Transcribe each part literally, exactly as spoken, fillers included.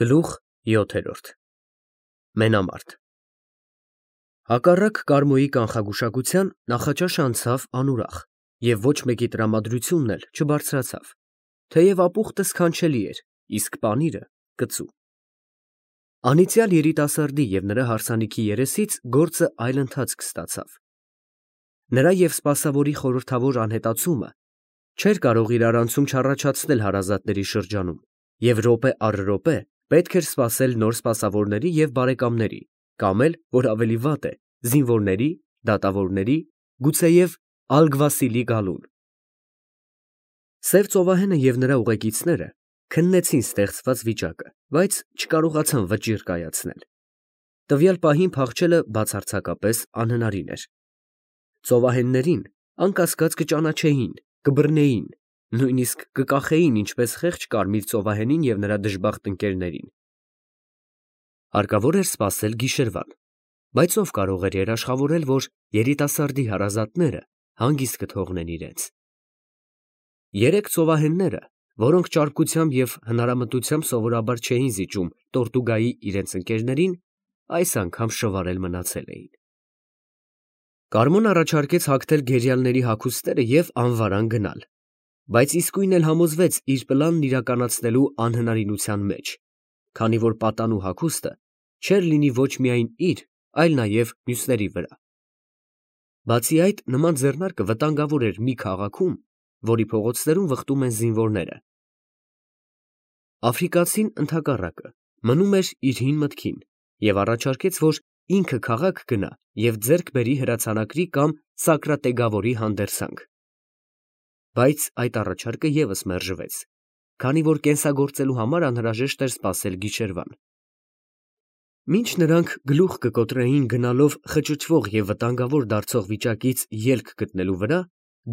Գլուխ յոթերորդ Մենամարտ Հակառակ Կարմոյի կանխագուշակության նախաճաշը անցավ անուրախ և ոչ մեկի տրամադրությունն էլ չբարձրացավ, թեև ապուխտը սքանչելի էր, իսկ պանիրը կծու։ Անիծյալ երիտասարդի և նրա հարսանիքի երեսից գործը այլ ընթացք ստացավ։ Նրա և սպասավորի խորհրդավոր անհետացումը չէր կարող իր արանցում չառաջացնել հարազատների շրջանում, և րոպե առ րոպե պետք էր սպասել նոր սպասավորների և բարեկամների, կամ էլ, որ ավելի վատ է, զինվորների, դատավորների, գուցեև ալգվասիլի գալուն։ Սև ծովահենը և նրա ուղեկիցները քննեցին ստեղծված վիճակը, բայց չկարողացան վճիռ կայացնել։ Տվյալ պահին փախչելը բացարձակապես անհնարին էր։ Ծովահեններին, անկասկած, կճանաչեին, կբռնեին, նույնիսկ կկախեին ինչպես խեղճ կարմիր ծովահենին և նրա դժբախտ ընկերներին։ Հարկավոր էր սպասել գիշերվան, բայց ով կարող էր երաշխավորել, որ երիտասարդի հարազատները հանգիստ կթողնեն իրենց։ Երեք ծովահենները, որոնք ճարպկությամբ և հնարամտությամբ սովորաբար չէին զիջում Տորտուգայի իրենց ընկերներին, այս անգամ շվարել մնացել էին։ Կարմոն առաջարկեց հագնել գերիալների հագուստները և անվարան գնալ, բայց իսկույն էլ համոզվեց իր պլանն իրականացնելու անհնարինության մեջ, քանի որ պատանու հագուստը չէր լինի ոչ միայն իր, այլ նաև մյուսների վրա։ Բացի այդ, նման ձեռնարկը վտանգավոր էր մի քաղաքում, որի փողոցներում վխտում են զինվորները։ Աֆրիկացին, ընդհակառակը, մնում էր իր հին մտքին և առաջարկեց, որ ինքը քաղաք գնա և ձեռք բերի հրացանակրի կամ Սակրատեգավորի հանդերձանք։ Բայց այդ առաջարկը ևս մերժվեց, քանի որ կենսագործելու համար անհրաժեշտ էր սպասել գիշերվան։ Մինչ նրանք գլուխ կկոտրեին գնալով խճճվող և վտանգավոր դարձող վիճակից ելք գտնելու վրա,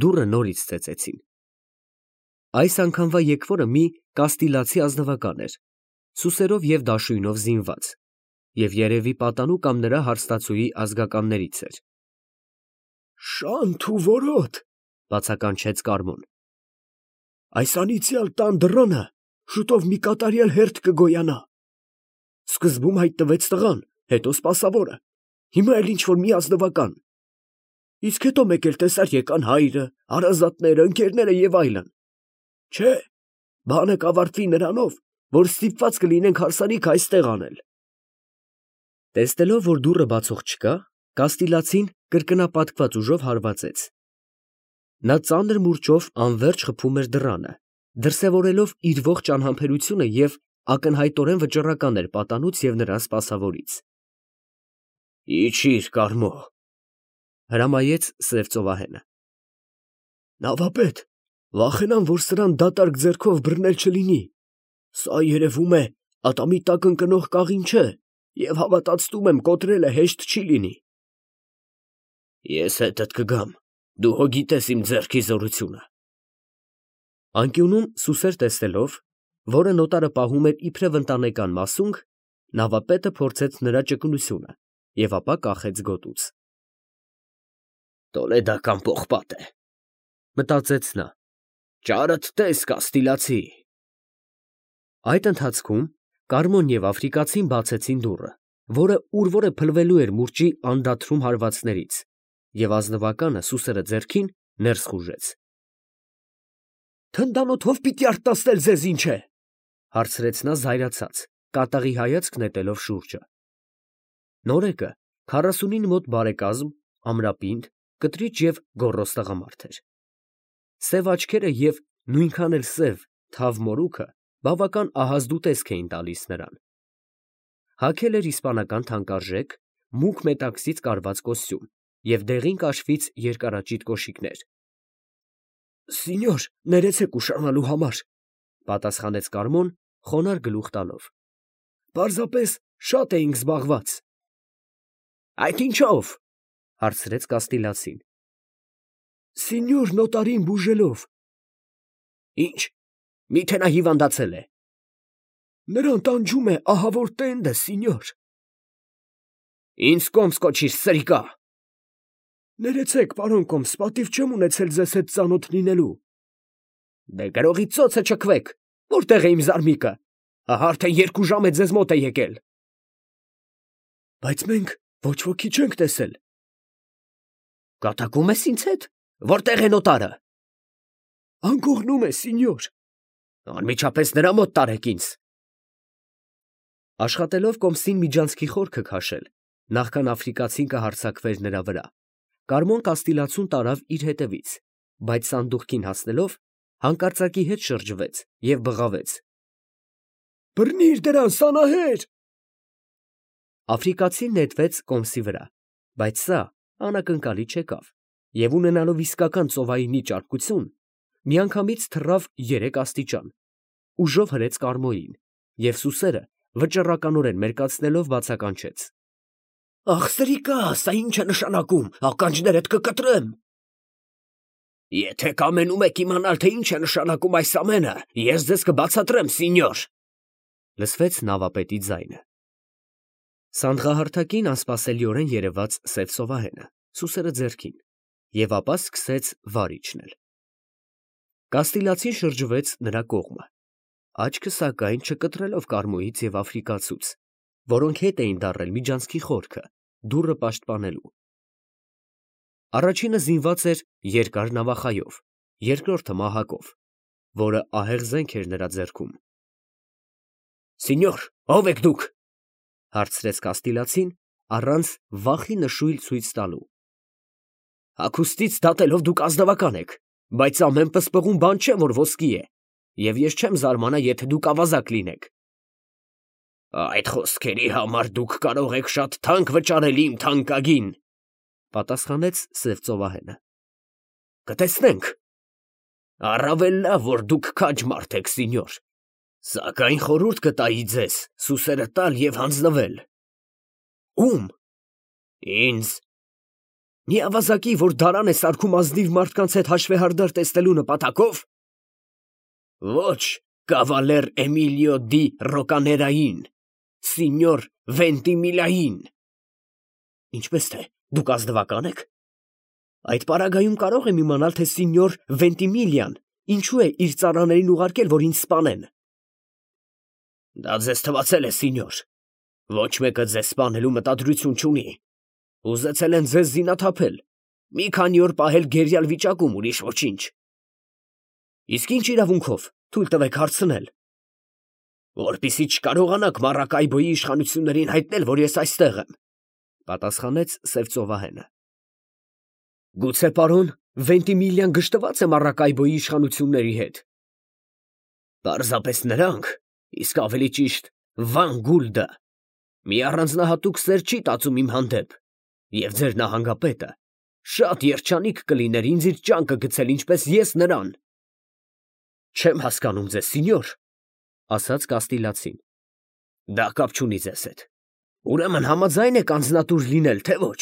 դուռը նորից ծեծեցին։ Այս անգամվա եկվորը մի կաստիլացի ազնվական էր, սուսերով և դաշույնով զինված, և երևի պատանու կամ նրա հարստացուի ազգականներից էր։ ֊ Շանթ ու որոտ, ֊ բացականչեց Կարմոն, ֊ այս անիծյալ տան դռանը շուտով մի կատարյալ հերթ կգոյանա։ Սկզբում հայտնվեց տղան, հետո սպասավորը, հիմա էլ ինչ֊որ մի ազնվական, իսկ հետո մեկ էլ տեսար եկան հայրը, հարազատները, ընկերները և այլն։ Չէ, բանը կավարտվի նրանով, որ ստիպված կլինենք հարսանիքը այստեղ անել։ Տեսնելով, որ դուռը բացող չկա, կաստիլացին կրկնապատկված ուժով հարվածեց։ Նա ծանր մուրճով անվերջ խփում էր դռանը, դրսևորելով իր ողջ անհամբերությունը և ակնհայտորեն վճռական էր պատանուց և նրա սպասավորից։ ֊ Իջիր, Կարմո, ֊ հրամայեց սև ծովահենը։ ֊ Նավապետ, վախենամ, որ սրան դատարկ ձեռքով բռնել չլինի, սա, երևում է, ատամի տակ ընկնող կաղին չէ և հավատացնում եմ, կոտրելը հեշտ չի լինի։ ֊ Ես հետդ կգամ, դու հո գիտես իմ ձեռքի զորությունը։ Անկյունում սուսեր տեսնելով, որը նոտարը պահում էր իբրև ընտանեկան մասունք, նավապետը փորձեց նրա ճկունությունը և ապա կախեց գոտուց։ Տոլեդական պողպատ է, ֊ մտածեց նա, ֊ ճարդ տես, կաստիլացի։ Այդ ընթացքում Կարմոն և աֆրիկացին բացեցին դուռը, որը ուր որ է փլվելու էր մուրճի անդադրում հարվածներից, և ազնվականը, սուսերը ձեռքին, ներս խուժեց։ ֊ Թնդանոթով պիտի արտասնել ձեզ, ինչ է, ֊ հարցրեց նա զայրացած, կատաղի հայացք նետելով շուրջը։ Նորեկը քառասունին մոտ բարեկազմ, ամրապինդ, կտրիճ և գոռոզ տղամարդ էր։ Սև աչքերը և նույնքան էլ սև, թավ մորուքը բավական ահազդու տեսք էին տալիս նրան։ Հագել էր իսպանական թանկարժեք, մուգ մետաքսից կարված կոստյում և դեղին կաշվից երկարաճիտ կոշիկներ։ ֊ Սինյոր, ներեցեք ուշանալու համար, ֊ պատասխանեց Կարմոն, խոնարհ գլուխ տալով, ֊ պարզապես շատ էինք զբաղված։ ֊ Այդ ինչո՞վ, ֊ հարցրեց կաստիլացին։ ֊ Սինյոր նոտարին բուժելով։ ֊ Ի՞նչ, մի՞թե նա հիվանդացել է։ ֊ Նրան տանջում է ահավոր տենդը, սինյոր։ ֊ Ինձ կոմս կոչիր, սրիկա։ ֊ Ներեցեք, պարոն կոմս, պատիվ չեմ ունեցել ձեզ հետ ծանոթ լինելու։ ֊ Դե գրողի ծոցը չքվեք, որտե՞ղ է իմ զարմիկը։ Ահա արդեն երկու ժամ է ձեզ մոտ է եկել։ Բայց մենք ոչ ոքի չենք տեսել։ Կատակում ես ինձ հետ։ Որտեղ է նոտարը։ Անկողնում է, սինյոր։ Անմիջապես նրա մոտ տարեք ինձ։ Աշխատելով կոմսին միջանցքի խորքը քաշել, նախքան աֆրիկացին կհարձակվեր նրա վրա, Կարմոն Կաստիլացուն տարավ իր հետևից, բայց սանդուղքին հասնելով, հանկարծակի հետ շրջվեց և բղավեց. Բռնիր դրան, սանահեր։ Աֆրիկացին նետվեց կոմսի վրա, բայց սա անակնկալի չեկավ և ունենալով իսկական ծովայինի ճարպկություն, միանգամից թռավ երեք աստիճան, ուժով հրեց Կարմոյին և սուսերը վճռականորեն մերկացնելով բացականչեց. Ախ, սրիկա, սա ի՞նչ է նշանակում, ականջներդ կկտրեմ։ Եթե կամենում եք իմանալ, թե ինչ է նշանակում այս ամենը, ես ձեզ կբացատրեմ, սինյոր, լսվեց նավապետի ձայնը։ Սանդղահարթակին անսպասելիորեն երևաց սև ծովահենը, սուսերը ձեռքին, և ապա սկսեց վար իջնել։ Կաստիլացին շրջվեց նրա կողմը, աչքը սակայն չկտրելով Կարմոյից և աֆրիկացուց, որոնք հետ էին դառել միջանցքի խորքը, դուռը պաշտպանելու։ Առաջինը զինված էր երկար նավախայով, երկրորդը մահակով, որը ահեղ զենք էր նրա ձեռքում։ Սինյոր, ո՞վ եք դուք, հարցրեց Կաստիլացին, առանց վախի նշույլ ցույց տալու։ Հագուստից դատելով դուք ազնվական եք, բայց ամեն պսպղուն բան չէ, որ ոսկի է, և ես չեմ զարմանա, եթե դուք ավազակ լինեք։ Այդ խոսքերի համար դուք կարող եք շատ թանկ վճարել իմ թանկագին, պատասխանեց սև ծովահենը։ Կտեսնենք։ Առավել լավ, որ դուք քաջ մարդ եք, սինյոր, սակայն խորհուրդ կտայի ձեզ սուսերը տալ և հանձնվել։ Ո՞ւմ։ Ինձ։ Մի ավազակի, որ դարան է սարքում ազնիվ մարդկանց հետ հաշվեհարդար տեսնելու նպատակով։ Ոչ, կավալեր Էմիլիո դի Ռոկաներային, սինյոր Վենտիմիլիային։ Ինչպես թե, դուք ազնվակա՞ն եք։ Այդ պարագայում կարող եմ իմանալ, թե սինյոր Վենտիմիլիան ինչու է իր ծառաներին ուղարկել, որ ինձ սպանեն։ Դա ձեզ թվացել է, սինյոր։ Ոչ մեկը ձեզ սպանելու մտադրություն չունի։ Ուզեցել են ձեզ զինաթափել, մի քանի օր պահել գերիալ վիճակում, ուրիշ ոչինչ։ Իսկ ինչ իրավունքով, թույլ տվեք հարցնել։ Որպեսզի չկարողանաք Մարակայբոյի իշխանություններին հայտնել, որ ես այստեղ եմ, պատասխանեց սև ծովահենը։ Գուցե պարոն Վենտիմիլիան գժտված է Մարակայբոյի իշխանությունների հետ։ Պարզապես նրանք, իսկ ավելի ճիշտ Վան Գուլդը, մի առանձնահատուկ սեր չի տածում իմ հանդեպ, և ձեր նահանգապետը շատ երջանիկ կլիներ ինձ իր ճանկը գցել, ինչպես ես նրան։ Չեմ հասկանում ձեզ, սինյոր, ասաց Կաստիլացին։ Դա կապ չունի ձեզ հետ։ Ուրեմն համաձայն եք անձնատուր լինել, թե ոչ։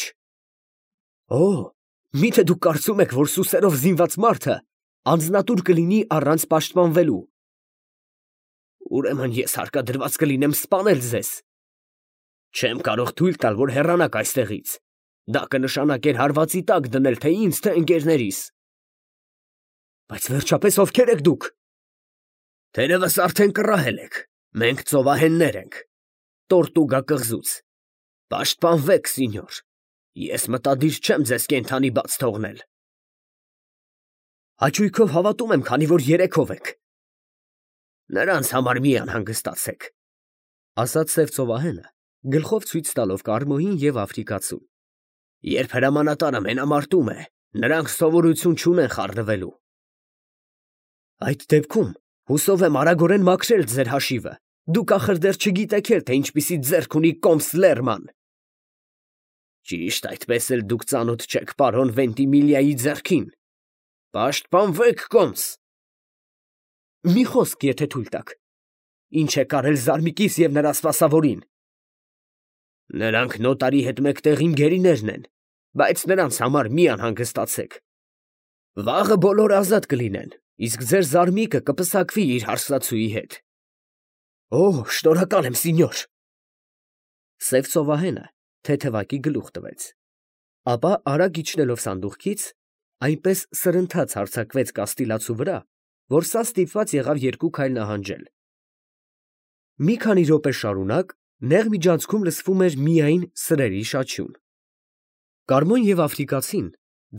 Օ, միթե դուք կարծում եք, որ սուսերով զինված մարդը անձնատուր կլինի առանց պաշտպանվելու։ Ուրեմն ես հարկադրված կլինեմ սպանել ձեզ։ Չեմ կարող թույլ տալ, որ հեռանաք այստեղից։ Դա կնշանակեր հարվածի տակ դնել թե ինձ, թե ընկերներիս։ Բայց վերջապես ովքեր եք դուք։ Թերևս արդեն կռահել եք, մենք ծովահեններ ենք, Տորտուգա կղզուց։ Պաշտպանվեք, սինյոր, ես մտադիր չեմ ձեզ կենդանի բաց թողնել։ Հաճույքով հավատում եմ, քանի որ երեքով եք։ Նրանց համար մի անհանգստացեք, ասաց սև ծովահենը, գլխով ցույց տալով Կարմոյին և աֆրիկացուն։ Երբ հրամանատարը մենամարտում է, նրանք սովորություն չունեն խառնվելու։ Այդ դեպքում հուսով եմ արագորեն մաքրել ձեր հաշիվը, դուք ախր դեռ չգիտեք էլ, թե ինչպիսի ձեռք ունի Կոմս Լերման։ Ճիշտ այդպես էլ դուք ծանոթ չեք պարոն Վենտիմիլիայի ձեռքին։ Պաշտպանվեք, Կոմս։ Մի խոսք, եթե թույլ տաք։ Ինչ է կարել Զարմիկիս և նրա սպասավորին։ Նրանք նոտարի հետ մեկտեղ իմ գերիներն են, բայց նրանց համար մի անհանգստացեք։ Վաղը բոլորը ազատ կլինեն, իսկ ձեր Զարմիկը կպսակվի իր հարսնացուի հետ։ Օ, շնորհակալ եմ, սինյոր։ Սև ծովահենը թեթևակի գլուխ տվեց, ապա արագ իջնելով սանդուղքից, այնպես սրընթաց հարձակվեց Կաստիլացու վրա, որ սա ստիպված եղավ երկու քայլ նահանջել։ Մի քանի րոպե շարունակ նեղ միջանցքում լսվում էր միայն սրերի շաչյուն։ Կարմոն և աֆրիկացին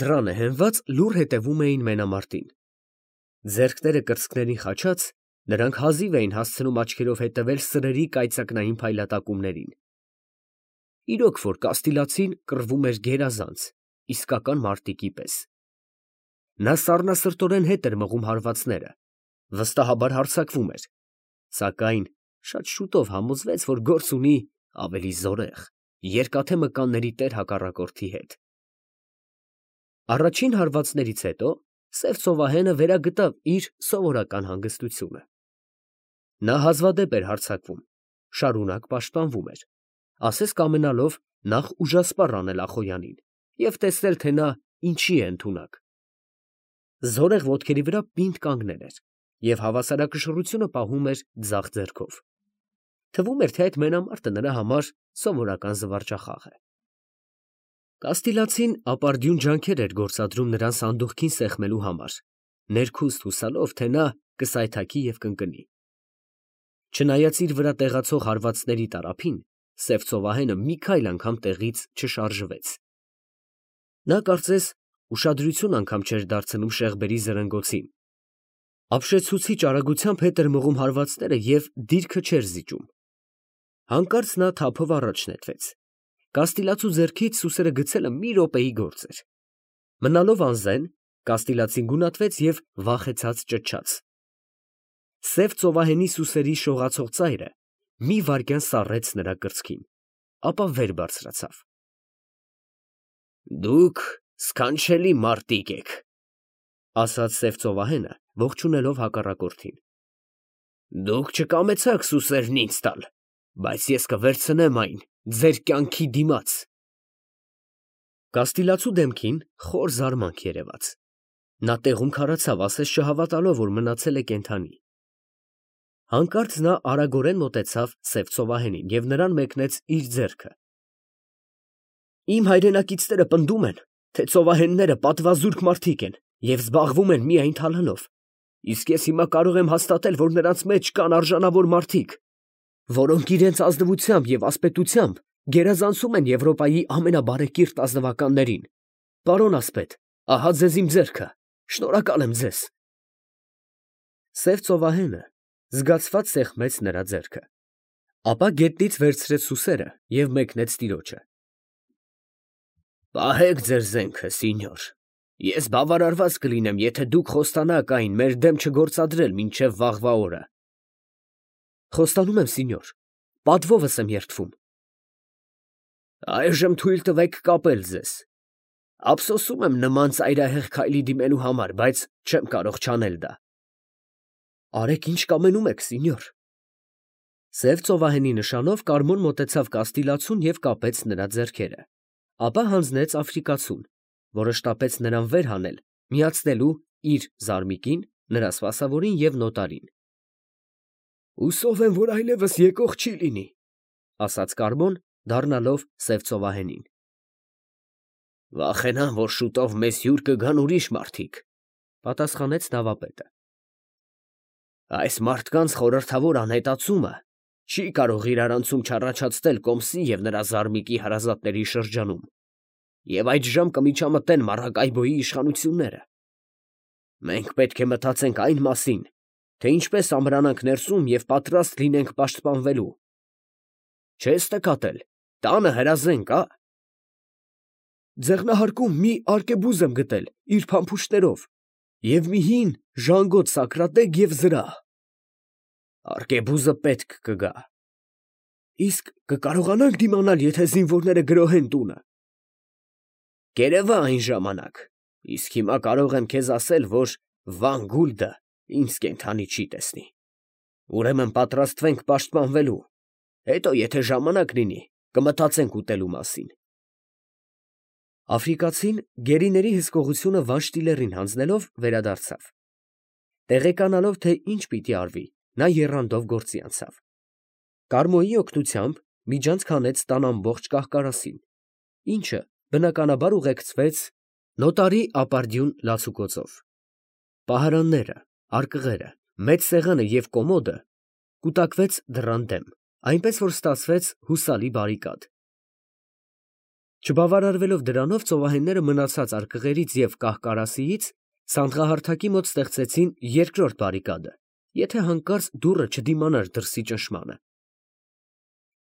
դռանը հենված լուռ հետևում էին մենամարտին։ Ձեռքները կրծքներին խաչած, նրանք հազիվ էին հասցնում աչքերով հետևել սրերի կայծակնային փայլատակումներին։ Իրոք որ կաստիլացին կռվում էր գերազանց, իսկական մարտիկի պես։ Նա սառնասրտորեն հետ էր մղում հարվածները, վստահաբար հարձակվում էր, սակայն շատ շուտով համոզվեց, որ գործ ունի ավելի զորեղ, երկաթե մկանների տեր հակառակորդի հետ։ Առաջին հարվածներից հետո սև ծովահենը վերագտավ իր սովորական հանգստությունը։ Նա հազվադեպ էր հարձակվում, շարունակ պաշտպանվում էր, ասես կամենալով նախ ուժասպառ անել Ախոյանին և տեսնել, թե նա ինչի է ընդունակ։ Զորեղ ոտքերի վրա պինդ կանգնել էր և հավասարակշռությունը պահում էր ձախ ձեռքով։ Թվում էր, թե այդ մենամարտը նրա համար սովորական զվարճախաղ է։ Կաստիլացին ապարդյուն ջանքեր էր գործադրում նրան սանդուղքին սեղմելու համար, ներքուստ հուսալով, թե նա կսայթաքի և կընկնի։ Չնայած իր վրա տեղացող հարվածների տարափին, սև ծովահենը մի քայլ անգամ տեղից չշարժվեց։ Նա կարծես ուշադրություն անգամ չէր դարձնում շեղբերի զրնգոցին, ապշեցուցիչ արագությամբ հետ էր մղում հարվածները և դիրքը չէր զիջում։ Հանկարծ նա թափով առաջ նետվեց։ Կաստիլացու ձեռքից սուսերը գցելը մի րոպեի գործ էր։ Մնալով անզեն, կաստիլացին գունատվեց և վախեցած ճչաց։ Սև ծովահենի սուսերի շողացող ծայրը մի վայրկյան սառեց նրա կրծքին, ապա վեր բարձրացավ։ Դուք սքանչելի մարտիկ եք, ասաց սև ծովահենը, ողջունելով հակառակորդին։ Դուք չկամեցաք սուսերն ինձ տալ, բայց ես կվերցնեմ այն ձեր կյանքի դիմաց։ Կաստիլացու դեմքին խոր զարմանք երևաց։ Նա տեղում քարացավ, ասես չհավատալով, որ մնացել է կենդանի։ Հանկարծ նա արագորեն մոտեցավ սև ծովահենին և նրան մեկնեց իր ձեռքը։ Իմ հայրենակիցները պնդում են, թե ծովահենները պատվազուրկ մարդիկ են և զբաղվում են միայն թալանով, իսկ ես հիմա կարող եմ հաստատել, որ նրանց մեջ կան արժանավոր մարդիկ, որոնք իրենց ազնվությամբ և ասպետությամբ գերազանցում են Եվրոպայի ամենաբարեկիրթ ազնվականներին։ Պարոն ասպետ, ահա ձեզ իմ ձեռքը, շնորհակալ եմ ձեզ։ Սև ծովահենը զգացված սեղմեց նրա ձեռքը, ապա գետնից վերցրեց սուսերը և մեկնեց տիրոջը։ Պահեք ձեր զենքը, սինյոր, ես բավարարված կլինեմ, եթե դուք խոստանաք այն մեր դեմ չգործադրել մինչև վաղվա օրը։ Խոստանում եմ, սինյոր, պատվովս եմ երդվում։ Այժմ թույլ տվեք կապել ձեզ։ Ափսոսում եմ նման ծայրահեղ քայլի դիմելու համար, բայց չեմ կարող չանել դա։ Արեք ինչ կամենում եք, սինյոր։ Սև ծովահենի նշանով Կարմոն մոտեցավ կաստիլացուն և կապեց նրա ձեռքերը, ապա հանձնեց աֆրիկացուն, որը շտապեց նրան վեր հանել, միացնելու իր զարմիկին, նրա սպասավորին և նոտարին։ Հուսով եմ, որ այլևս եկող չի լինի, ասաց Կարմոն, դառնալով սև ծովահենին։ Վախենամ, որ շուտով մեզ հյուր կգան ուրիշ մարդիկ, պատասխանեց նավապետը։ Այս մարդկանց խորհրդավոր անհետացումը չի կարող իրարանցում չառաջացնել Կոմսի և նրա զարմիկի հարազատների շրջանում, և այդժամ կմիջամտեն Մարակայբոյի իշխանությունները։ Մենք պետք է մտածենք այն մասին, թե ինչպես ամրանանք ներսում և պատրաստ լինենք պաշտպանվելու։ Չես նկատել, տանը հրազեն կա։ Ձեղնահարկում մի արկեբուզ եմ գտել իր փամփուշտներով և մի հին ժանգոտ Սակրատեկ և զրահ։ Արկեբուզը պետք կգա։ Իսկ կկարողանանք դիմանալ, եթե զինվորները գրոհեն տունը։ Կերևա այն ժամանակ, իսկ հիմա կարող եմ քեզ ասել, որ Վան Գուլդը ինձ կենդանի չի տեսնի։ Ուրեմն պատրաստվենք պաշտպանվելու, հետո եթե ժամանակ լինի, կմտածենք ուտելու մասին։ Աֆրիկացին գերիների հսկողությունը վանշտիլեռին հանձնելով վերադարձավ։ Տեղեկանալով, թե ինչ պիտի արվի, նա եռանդով գործի անցավ։ Կարմոյի օգնությամբ միջանցք հանեց տան ամբողջ կահ֊կարասին, ինչը բնականաբար ուղեկցվեց նոտարի ապարդյուն լացուկոցով։ Պահարանները, արկղերը, մեծ սեղանը և կոմոդը կուտակվեց դռան դեմ, այնպես որ ստացվեց հուսալի բարիկադ։ Չբավարարվելով դրանով, ծովահենները մնացած արկղերից և կահ֊կարասիից սանդղահարթակի մոտ ստեղծեցին երկրորդ բարիկադը, եթե հանկարծ դուռը չդիմանար դրսի ճնշմանը։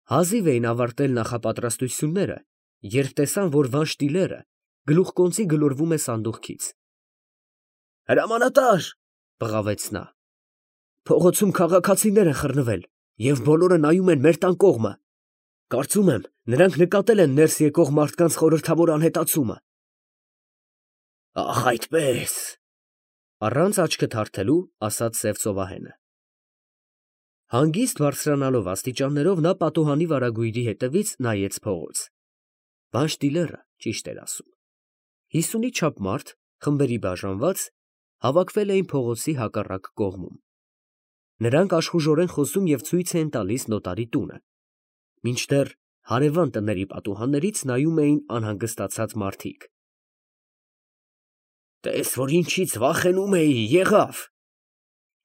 Հազիվ էին ավարտել նախապատրաստությունները, երբ տեսան, որ Վանշտիլերը գլուխկոնծի գլորվում է սանդուղքից։ «Հրամանատա՛ր», բղավեց նա, «փողոցում քաղաքացիներ են խռնվել և բոլորը նայում են մեր տան կողմը։ Կարծում եմ, նրանք նկատել են ներս եկող մարդկանց խորհրդավոր անհետացումը»։ «Ախ, այդպե՜ս», առանց աչքը թարթելու, ասաց սև ծովահենը։ Հանգիստ բարձրանալով աստիճաններով, նա պատուհանի վարագույրի հետևից նայեց փողոց։ Վանշտիլերը, ճիշտ էր ասում։ Հիսունի չափ մարդ, խմբերի բաժանված, հավաքվել էին փողոցի հակառակ կողմում։ Նրանք աշխուժորեն խոսում և ցույց էին տալիս նոտարի տունը, մինչդեռ հարևան տների պատուհաններից նայում էին անհանգստացած մարդիկ։ «Տես, որ ինչից վախենում էի, եղավ»,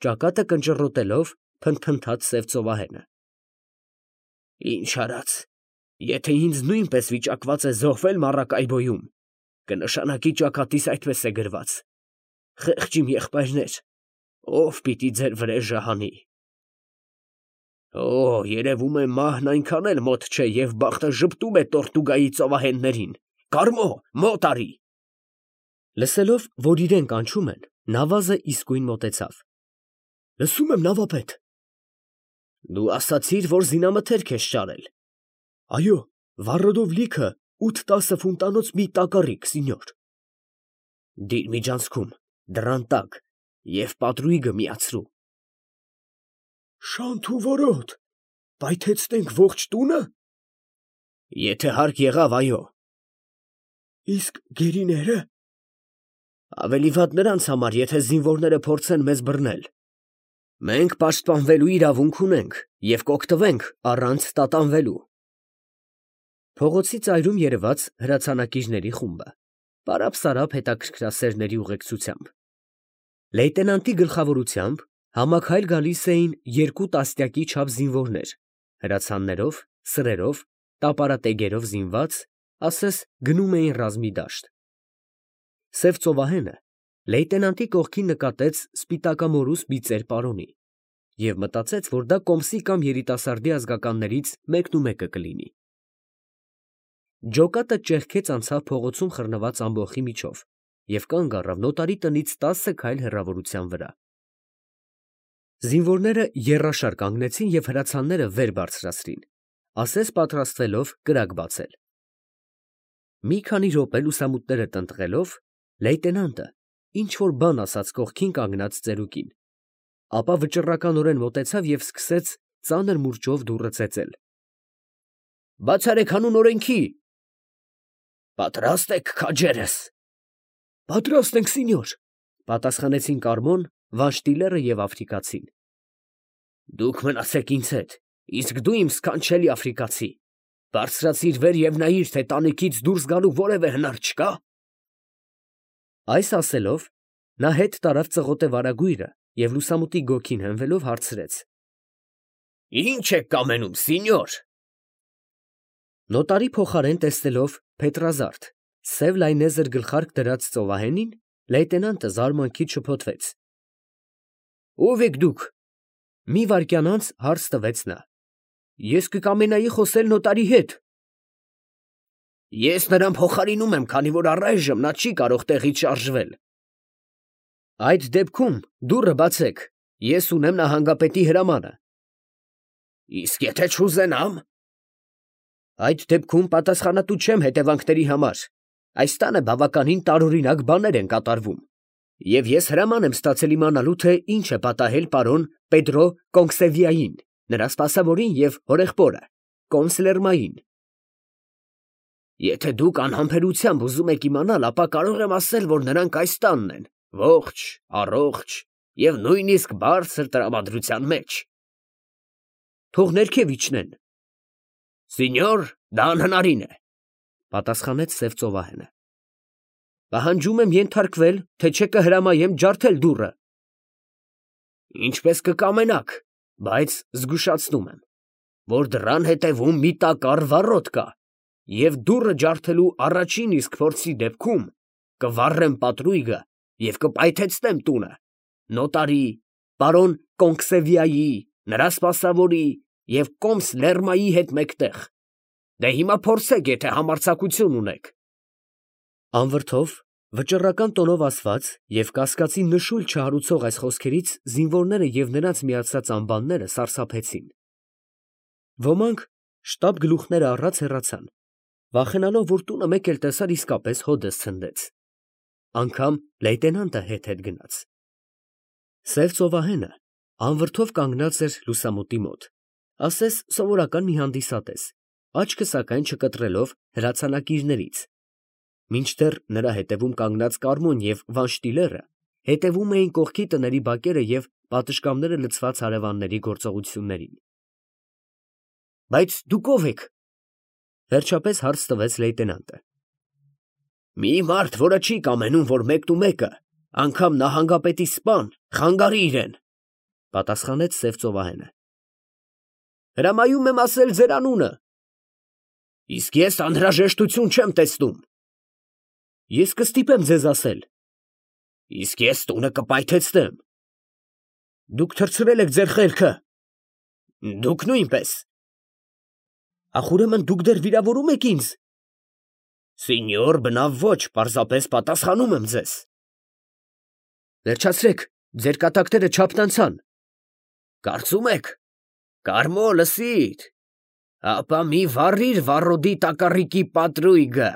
ճակատը կնճռոտելով, փնթփնթաց սև ծովահենը։ «Ինչ արած, եթե ինձ նույնպես վիճակված է զոհվել Մարակայբոյում, կնշանակի ճակատիս այդպես է գրված. խեղճ իմ եղբայրներ, ով պիտի ձեր վրեժը հանի։ Օ, երևում է մահն այնքան էլ մոտ չէ և բախտը ժպտում է Տորտուգայի ծովահեններին, կարմո, մոտ արի»։ Լսելով, որ իրեն կանչում են, նավազը իսկույն մոտեցավ։ «Լսում եմ, նավապետ»։ «Դու ասացիր, որ զինամթերք ես ճարել»։ «Այո, վառոդով լիքը ութ֊տասը ֆունտանոց մի տակառիկ, սինյոր»։ «Դիր միջանցքում, դռան տակ և պատրույգը միացրու»։ «Շանթ ու որոտ, պայթեցնենք ողջ տունը»։ «Եթե հարկ եղավ, այո»։ «Իսկ գերիները»։ «Ավելի վատ նրանց համար, եթե զինվորները փորձեն մեզ բռնել։ Մենք պաշտպանվելու իրավունք ունենք և կօգտվենք առանց տատանվելու»։ Փողոցի ծայրում երևաց հրացանակիրների խումբը, պարապ֊սարապ հետաքրքրասերների ուղեկցությամբ։ Լեյտենանտի գլխավորությամբ համաքայլ գալիս էին երկու տասնյակի չափ զինվորներ, հրացաններով, սրերով, տապարատեգերով զինված, ասես գնում էին ռազմի դաշտ։ Սև ծովահենը լեյտենանտի կողքին նկատեց սպիտակամորուս բիծեր պարոնի և մտածեց, որ դա կոմսի կամ երիտասարդի ազգականներից մեկնումեկը կլինի։ Ջոկատը ճեղքեց անցավ փողոցում խռնված ամբոխի միջով և կանգ առավ նոտարի տնից տասը քայլ հեռավորության վրա։ Զինվորները եռաշար կանգնեցին և հրացանները վեր բարձրացրին, ասես պատրաստվելով կրակ բացել։ Մի քանի րոպե լուսամուտները տնտղելով, լեյտենանտը ինչ֊որ բան ասաց կողքին կանգնած ծերուկին, ապա վճռականորեն մոտեցավ և սկսեց ծանր մուրճով դուռը ծեծել։ «Բաց արեք հանուն օրենքի»։ «Պատրաստ ե՞ք, քաջերս»։ «Պատրաստ ենք, սինյոր», պատասխանեցին Կարմոն, Վանշտիլերը և աֆրիկացին։ «Դուք մնացեք ինձ հետ, իսկ դու, իմ սքանչելի աֆրիկացի, բարձրացիր վեր և նայիր, թե տանիքից դուրս գալու որևէ հնար չկա»։ Այս ասելով, նա հետ տարավ ծղոտե վարագույրը և լուսամուտի գոգին հենվելով հարցրեց. «Ի՞նչ եք կամենում, սինյոր»։ Նոտարի փոխարեն տեսնելով փետրազարդ, սև լայնեզր գլխարկ դրած ծովահենին, լեյտենանտը զարմանքից շփոթվեց։ «Ո՞վ եք դուք»։ Մի վայրկյան անց հարց տվեց նա։ «Ես կկամենայի խոսել նոտարի հետ»։ «Ես նրան փոխարինում եմ, քանի որ առայժմ նա չի կարող տեղից շարժվել»։ «Այդ դեպքում դուռը բացեք, ես ունեմ նահանգապետի հրամանը»։ «Իսկ եթե չուզենամ»։ «Այդ դեպքում պատասխանատու չեմ հետևանքների համար, այս տանը բավականին տարօրինակ բաներ են կատարվում, և ես հրաման եմ ստացել իմանալու, թե ինչ է պատահել պարոն Պեդրո Կոնսևիային, նրա սպասավորին և հորեղբորը, կոմս Լերմային»։ «Եթե դուք անհամբերությամբ ուզում եք իմանալ, ապա կարող եմ ասել, որ նրանք այս տանն են, ողջ, առողջ և նույնիսկ բարձր տրամադրության մեջ»։ «Թող ներքև իջնեն»։ «Սինյոր, դա անհնարին է», պատասխանեց սև ծովահենը։ «Պահանջում եմ ենթարկվել, թե չէ կհրամայեմ ջարդել դուռը»։ «Ինչպես կկամենաք, Բայց զգուշացնում եմ, որ դռան հետևում մի տակառ վառոդ կա, և դուռը ջարդելու առաջին իսկ փորձի դեպքում կվառեմ պատրույգը և կպայթեցնեմ տունը, նոտարի, պարոն Կոնքսևյայի, նրա սպասավորի և կոմս Լերմայի հետ մեկտեղ. դե հիմա փորձեք, եթե համարձակություն ունեք։ Անվրդով, վճռական տոնով ասված և կասկածի նշույլ չհարուցող այս խոսքերից զինվորները և նրանց միացած անբանները սարսափեցին. ոմանք շտապ գլուխները առած հեռացան, վախենալով, որ տունը մեկ էլ տեսար իսկապես հօդս ցնդեց. անգամ լեյտենանտը հետ֊հետ գնաց։ Սև ծովահենը անվրդով կանգնած էր լուսամուտի մոտ, ասես սովորական մի հանդիսատես, աչքը սակայն չկտրելով հրացանակիրներից, մինչդեռ նրա հետևում կանգնած Կարմոն և Վանշտիլերը հետևում էին կողքի տների բակերը և պատշգամբները լցված հարևանների գործողություններին։ ֊ Բայց դուք ո՞վ եք, ֊ վերջապես հարց տվեց լեյտենանտը։ ֊ Մի մարդ, որը չի կամենում, որ մեկնումեկը, անգամ նահանգապետի սպան, խանգարի իրան, ֊ պատասխանեց սև ծովահենը։ ֊ Հրամայում եմ ասել ձեր անունը։ ֊ Իսկ ես անհրաժեշտություն չեմ տեսնում։ ֊ Ես կստիպեմ ձեզ ասել։ ֊ Իսկ ես տունը կպայթեցնեմ։ ֊ Դուք թռցրել եք ձեր խելքը։ ֊ Դուք նույնպես։ ֊ Ախ, ուրեմն դուք դեռ վիրավորում եք ինձ։ ֊ Սինյոր, բնավ ոչ, պարզապես պատասխանում եմ ձեզ։ ֊ Վերջացրեք, ձեր կատակները չափն անցան։ ֊ Կարծում եք. Կարմո, լսիր, ապա մի վառիր վառոդի տակառիկի պատրույգը։